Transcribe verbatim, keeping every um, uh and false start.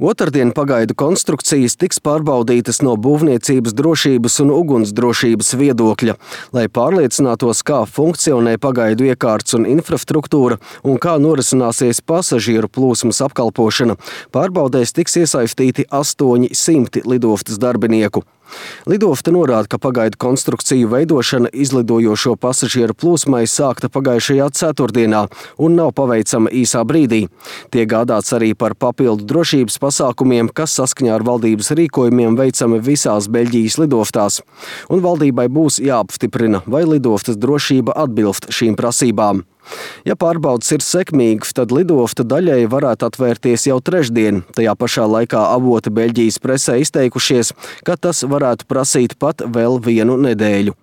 Otrdien pagaidu konstrukcijas tiks pārbaudītas no būvniecības drošības un ugunsdrošības viedokļa, lai pārliecinātos, kā funkcionē pagaidu iekārts un infrastruktūra un kā norisināsies pasažieru plūsmas apkalpošana. Pārbaudēs tiks iesaistīti astoņi simti lidostas darbinieku. Lidofta norāda, ka pagaidu konstrukciju veidošana izlidojošo pasažieru plūsmai sākta pagājušajā ceturtdienā un nav paveicama īsā brīdī. Tiek gādāts arī par papildu drošības pasākumiem, kas saskaņā ar valdības rīkojumiem veicami visās Beļģijas lidoftās. Un valdībai būs jāapstiprina, vai lidoftas drošība atbilst šīm prasībām. Ja pārbaudas ir sekmīgas, tad lidofta daļai varētu atvērties jau trešdien. Tajā pašā laikā avoti Beļģijas presē izteikušies, ka tas varētu prasīt pat vēl vienu nedēļu.